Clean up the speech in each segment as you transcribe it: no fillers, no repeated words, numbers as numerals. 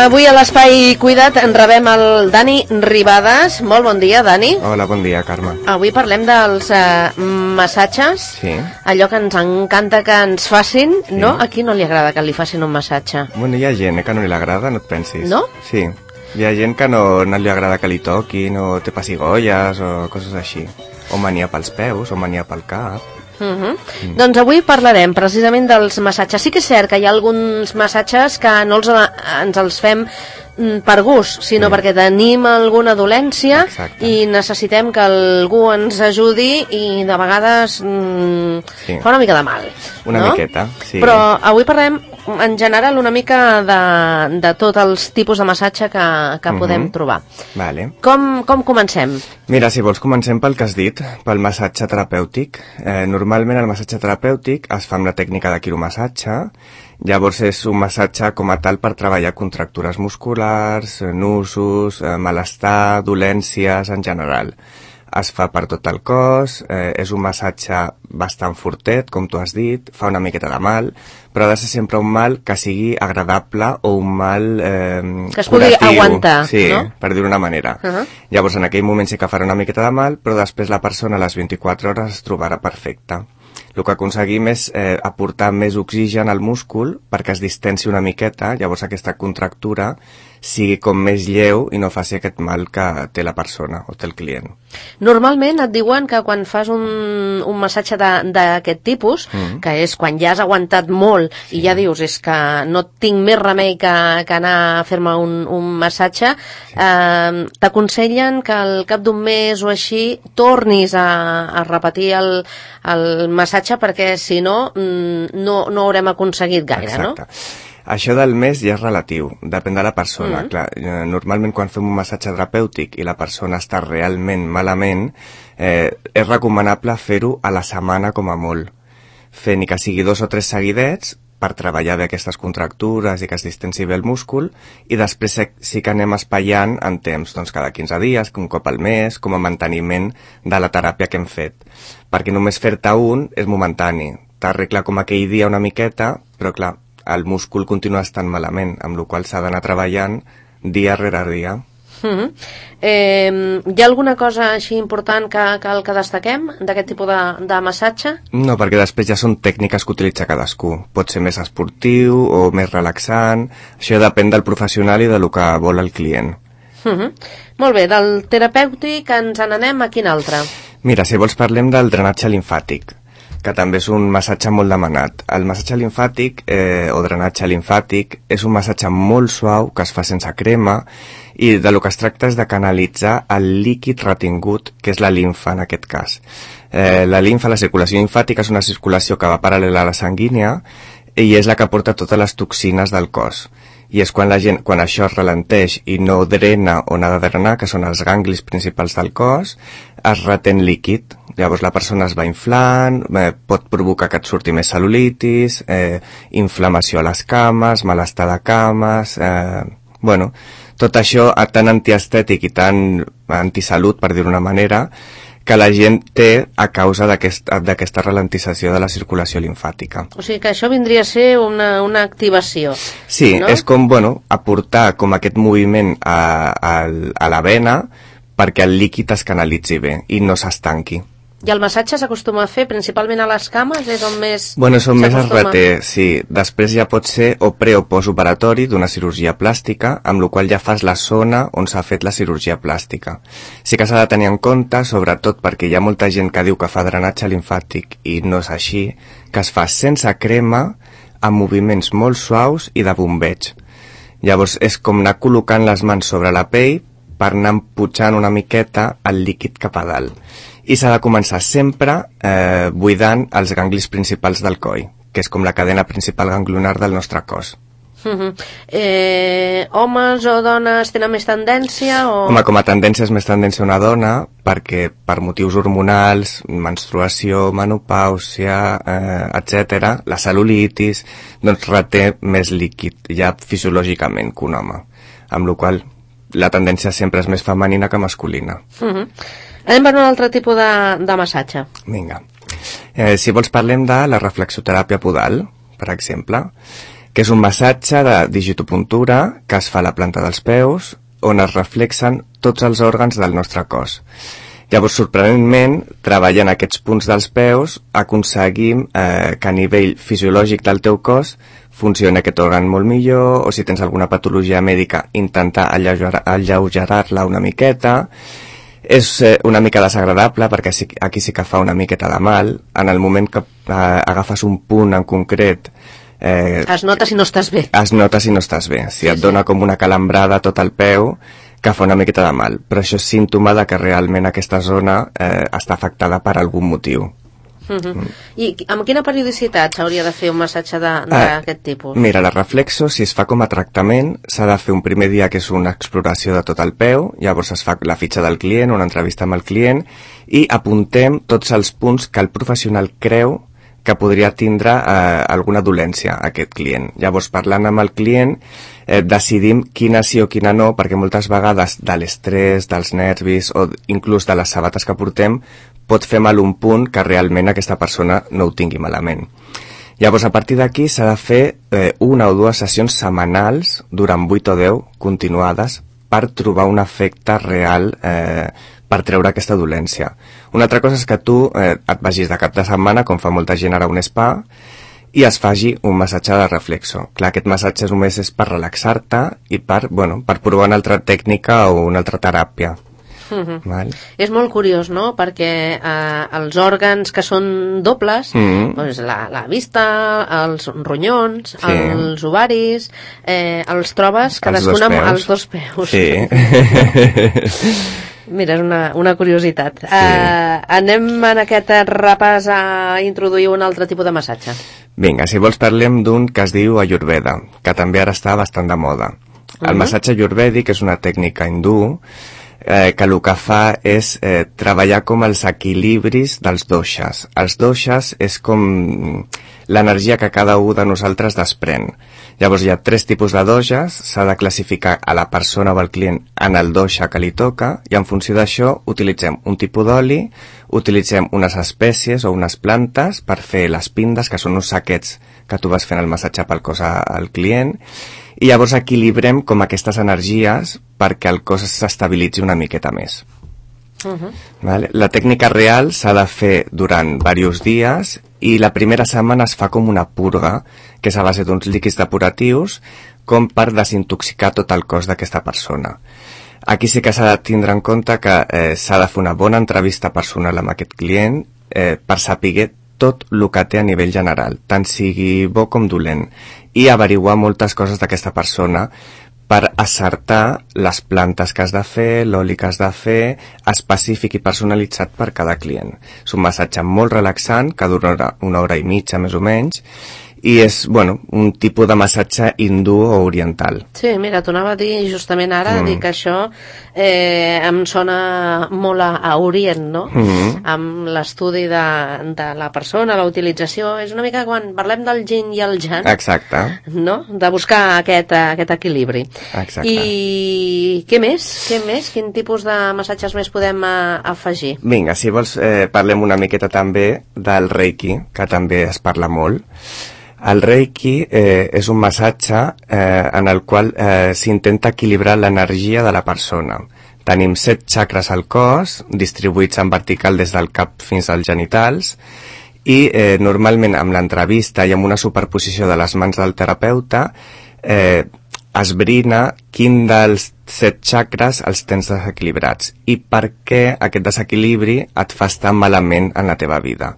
Avui a l'Espai Cuida't en rebem el Dani Ribades. Molt bon dia, Dani. Hola, bon dia, Carme. Avui parlem dels massatges. Sí. Allò que ens encanta que ens facin, sí. No? A qui no li agrada que li facin un massatge? Bueno, hi ha gent que no li agrada, no et pensis. No? Sí. Hi ha gent que no li agrada que li toquin, o té pessigolles, o coses així. O mania pels peus, o mania pel cap. Doncs avui parlarem precisament dels massatges. Sí que és cert que hi ha alguns massatges que no ens els fem per gust, sinó perquè tenim alguna dolència. Exacte. I necessitem que algú ens ajudi i de vegades fa una mica de mal. Una miqueta, sí. Però avui parlem en general una mica de tots els tipus de massatge que podem trobar. Vale. Com comencem? Mira, si vols comencem pel que has dit, pel massatge terapèutic. Normalment el massatge terapèutic es fa amb la tècnica de quiromassatge. Llavors és un massatge com a tal per treballar contractures musculars, nusos, malestar, dolències en general. Es fa per tot el cos, és un massatge bastant fortet, com tu has dit, fa una miqueta de mal, però ha de ser sempre un mal que sigui agradable o un mal que es pugui curatiu, aguantar, sí, no? Per dir-ho d'una manera. Llavors en aquell moment sí que farà una miqueta de mal, però després la persona a les 24 hores es trobarà perfecta. El que aconseguim és aportar més oxigen al múscul perquè es distensi una miqueta, llavors aquesta contractura sigui com més lleu i no faci aquest mal que té la persona o té el client. Normalment et diuen que quan fas un massatge d'aquest tipus, que és quan ja has aguantat molt i ja dius és que no tinc més remei que anar a fer-me un massatge, t'aconsellen que al cap d'un mes o així tornis a repetir el massatge perquè si no, no haurem aconseguit gaire. Exacte. No? Això del mes ja és relatiu, depèn de la persona. Clar, normalment quan fem un massatge terapèutic i la persona està realment malament, és recomanable fer-ho a la setmana com a molt. Fer ni que sigui 2 o 3 seguidets per treballar bé aquestes contractures i que es distensi bé el múscul, i després sí que anem espaiant en temps, doncs cada 15 dies, un cop al mes, com a manteniment de la teràpia que hem fet. Perquè només fer-te un és momentani. T'arregla com aquell dia una miqueta, però clar, el múscul continua estant malament, amb la qual s'ha d'anar treballant dia rere dia. Hi ha alguna cosa així important que destaquem d'aquest tipus de massatge? No, perquè després ja són tècniques que utilitza cadascú. Pot ser més esportiu o més relaxant. Això depèn del professional i del que vol el client. Molt bé, del terapèutic ens n'anem a quin altre? Mira, si vols parlem del drenatge limfàtic, que també és un massatge molt demanat. El massatge limfàtic o drenatge limfàtic és un massatge molt suau que es fa sense crema i del que es tracta és de canalitzar el líquid retingut, que és la limfa en aquest cas. La limfa, la circulació limfàtica, és una circulació que va paral·lela a la sanguínia i és la que porta totes les toxines del cos. I és quan això es ralenteix i no drena on ha de drenar, que són els ganglis principals del cos, es retén líquid. Llavors la persona es va inflant, pot provocar que et surti més cel·lulitis, inflamació a les cames, malestar de cames, tot això tan antiestètic i tan antisalut, per dir-ho d'una manera, que la gent té a causa d'aquesta ralentització de la circulació limfàtica. O sigui que això vindria a ser una activació. Sí, no? És com, aportar com aquest moviment a la vena perquè el líquid es canalitzi bé i no s'estanqui. I el massatge s'acostuma a fer principalment a les cames? És on més són més es reté, sí. Després ja pot ser o pre o postoperatori d'una cirurgia plàstica, amb la qual ja fas la zona on s'ha fet la cirurgia plàstica. Sí que s'ha de tenir en compte, sobretot perquè hi ha molta gent que diu que fa drenatge limfàtic i no és així, que es fa sense crema, amb moviments molt suaus i de bombeig. Llavors és com anar col·locant les mans sobre la pell per anar empujant una miqueta el líquid cap a dalt. I s'ha de començar sempre buidant els ganglis principals del coll, que és com la cadena principal ganglionar del nostre cos. Homes o dones tenen més tendència? Home, com a tendència és més tendència una dona, perquè per motius hormonals, menstruació, menopàusia, etc., la cel·lulitis, doncs reté més líquid, ja fisiològicament, que un home. Amb la qual la tendència sempre és més femenina que masculina. Anem per un altre tipus de massatge. Vinga. Si vols parlem de la reflexoteràpia podal, per exemple. que és un massatge de digitopuntura que es fa a la planta dels peus, on es reflexen tots els òrgans del nostre cos. Llavors, sorprenentment, treballant aquests punts dels peus, aconseguim que a nivell fisiològic del teu cos funcioni aquest òrgan molt millor, o si tens alguna patologia mèdica, intentar alleugerar-la una miqueta. És una mica desagradable perquè aquí sí que fa una miqueta de mal. En el moment que agafes un punt en concret, es nota si no estàs bé. Es nota si no estàs bé. Si et dona com una calambrada tot el peu, que fa una miqueta de mal. Però això és símptoma de que realment aquesta zona està afectada per algun motiu. I amb quina periodicitat s'hauria de fer un massatge d'aquest tipus? Mira, la reflexo, si es fa com a tractament, s'ha de fer un primer dia que és una exploració de tot el peu, llavors es fa la fitxa del client, una entrevista amb el client, i apuntem tots els punts que el professional creu que podria tindre alguna dolència aquest client. Llavors, parlant amb el client, decidim quina sí o quina no, perquè moltes vegades de l'estrès, dels nervis o inclús de les sabates que portem, pot fer mal un punt que realment aquesta persona no ho tingui malament. Llavors, a partir d'aquí s'ha de fer una o dues sessions setmanals durant 8 o 10 continuades per trobar un efecte real per treure aquesta dolència. Una altra cosa és que tu et vagis de cap de setmana, com fa molta gent ara a un spa, i es faci un massatge de reflexo. Clar, aquest massatge només és per relaxar-te i per provar una altra tècnica o una altra teràpia. Val? És molt curiós, no? Perquè els òrgans que són dobles, doncs la vista, els ronyons, els ovaris, els trobes cadascun amb els dos peus. Sí. Mira, és una curiositat. Anem en aquest repàs a introduir un altre tipus de massatge. Vinga, si vols parlem d'un que es diu Ayurveda, que també ara està bastant de moda. El massatge ayurvèdic és una tècnica hindú que el que fa és treballar com els equilibris dels doshas. Els doshas és com l'energia que cada un de nosaltres desprèn. Llavors hi ha 3 tipus de doshas, s'ha de classificar a la persona o al client en el dosha que li toca, i en funció d'això utilitzem un tipus d'oli, utilitzem unes espècies o unes plantes per fer les pindes, que són uns saquets que tu vas fent el massatge pel cos al client, i llavors equilibrem com aquestes energies perquè el cos s'estabilitzi una miqueta més. Vale? La tècnica real s'ha de fer durant diversos dies i la primera setmana es fa com una purga, que és a base d'uns líquids depuratius, com per desintoxicar tot el cos d'aquesta persona. Aquí sí que s'ha de tindre en compte que s'ha de fer una bona entrevista personal amb aquest client per saber tot el que té a nivell general, tant sigui bo com dolent, i averiguar moltes coses d'aquesta persona per acertar les plantes que has de fer, l'oli que has de fer, específic i personalitzat per cada client. És un massatge molt relaxant, que dura 1 hora i mitja més o menys, i és, un tipus de massatge hindú o oriental. Sí, mira, t'ho anava a dir justament ara, dir que això em sona molt a Orient, no? Amb l'estudi de la persona, la utilització, és una mica quan parlem del yin i el yang. Exacte. No? De buscar aquest equilibri. Exacte. I què més? Quin tipus de massatges més podem afegir? Vinga, si vols parlem una miqueta també del Reiki, que també es parla molt. El Reiki és un massatge en el qual s'intenta equilibrar l'energia de la persona. Tenim 7 xacres al cos, distribuïts en vertical des del cap fins als genitals, i normalment amb l'entrevista i amb una superposició de les mans del terapeuta esbrina quin dels 7 xacres els tens desequilibrats i per què aquest desequilibri et fa estar malament en la teva vida.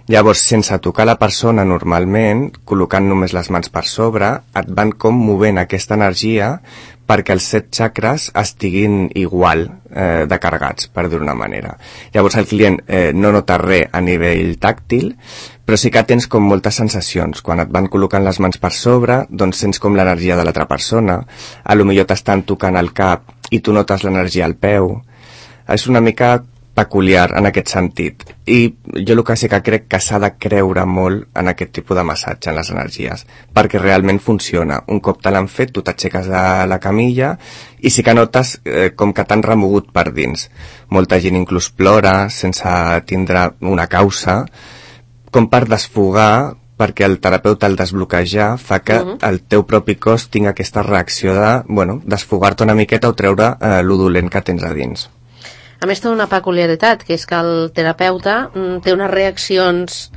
Llavors, sense tocar la persona normalment, col·locant només les mans per sobre, et van com movent aquesta energia perquè els 7 xacres estiguin igual de carregats, per dir-ho d'una manera. Llavors el client no nota res a nivell tàctil, però sí que tens com moltes sensacions. Quan et van col·locant les mans per sobre, doncs sents com l'energia de l'altra persona, potser t'estan tocant el cap i tu notes l'energia al peu. És una mica peculiar en aquest sentit, i jo el que sí que crec que s'ha de creure molt en aquest tipus de massatge, en les energies, perquè realment funciona. Un cop te l'han fet, tu t'aixeques de la camilla i sí que notes com que t'han remogut per dins. Molta gent inclús plora sense tindre una causa, com per desfogar, perquè el terapeuta al desbloquejar fa que el teu propi cos tingui aquesta reacció de, desfogar-te una miqueta o treure lo dolent que tens a dins. A més, té una peculiaritat, que és que el terapeuta té unes reaccions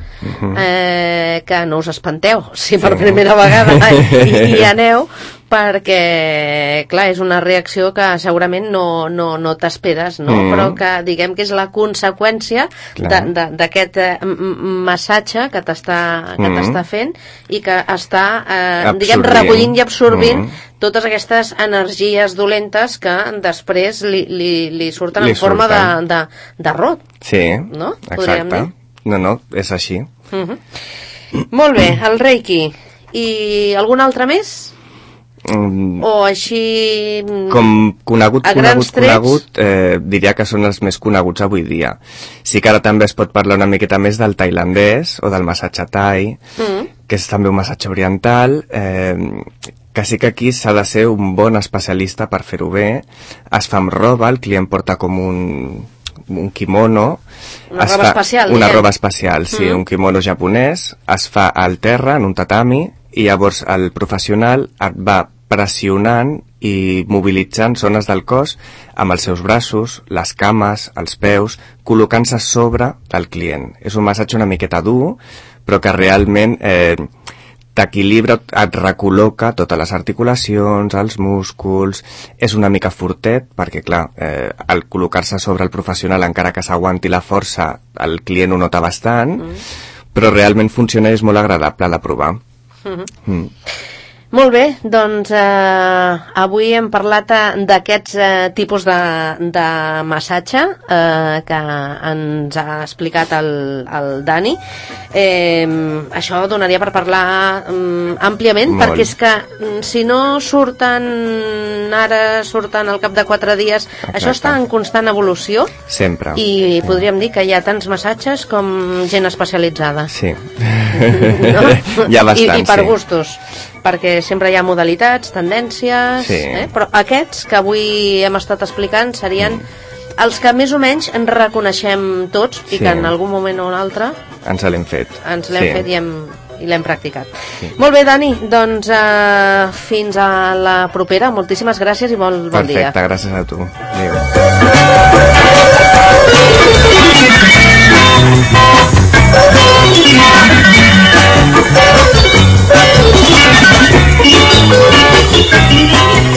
que no us espanteu, si per primera vegada hi aneu, perquè, clar, és una reacció que segurament no t'esperes, no? Però que diguem que és la conseqüència d'aquest massatge que t'està fent i que està, diguem, recollint i absorbint totes aquestes energies dolentes que després li surten en forma de rot. Sí, no? exacte. No, és així. Molt bé, el Reiki. I algun altre més? O així com conegut, diria que són els més coneguts avui dia. Sí que ara també es pot parlar una miqueta més del tailandès o del massatge thai, que és també un massatge oriental, que sí que aquí s'ha de ser un bon especialista per fer-ho bé. Es fa amb roba, el client porta com un kimono, una roba especial, sí, un kimono japonès, es fa al terra en un tatami i llavors el professional et va pressionant i mobilitzant zones del cos amb els seus braços, les cames, els peus, col·locant-se sobre del client. És un massatge una miqueta dur, però que realment t'equilibra, et recol·loca totes les articulacions, els músculs, és una mica fortet, perquè clar, al col·locar-se sobre el professional, encara que s'aguanti la força, el client ho nota bastant, però realment funciona i és molt agradable de provar. Molt bé, doncs avui hem parlat d'aquests tipus de massatge que ens ha explicat el Dani. Això donaria per parlar àmpliament, perquè és que si no surten al cap de 4 dies, això està en constant evolució. Sempre. I podríem dir que hi ha tants massatges com gent especialitzada. Sí. No? Hi ha bastant, I per gustos, perquè sempre hi ha modalitats, tendències, però aquests que avui hem estat explicant serien els que més o menys ens reconeixem tots i que en algun moment o un altre ens l'hem fet i l'hem practicat. Molt bé, Dani, doncs fins a la propera. Moltíssimes gràcies i bon dia. Perfecte, gràcies a tu. Adéu. Thank you.